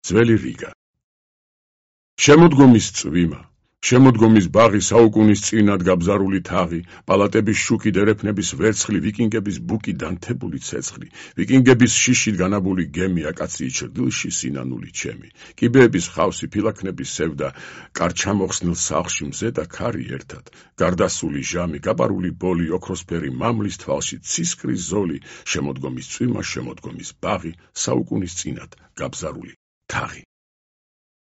ძველი რიგა. შემოდგომის წვიმა, შემოდგომის ბაღი, საუკუნის წინად გაბზარული თაღი, პალატების შუქი, დერეფნების ვერცხლი, ვიკინგების ბუკი, დანთებული ცეცხლი, ვიკინგების შიშით განაბული გემი, აკაციის ჭრდილში სინანული ჩემი, კიბეების ხავსი, ფილაქნების სევდა, კარჩამოხსნილ სახლში მზე და ქარი ერთად, გარდასული ჟამი, გაპარული ბოლი, ოქროსფერი მამლის თვალში, ცისკრის ზოლი, შემოდგომის წვიმა, შემოდგომის ბაღი, საუკუნის წინად გაბზარული თაღი.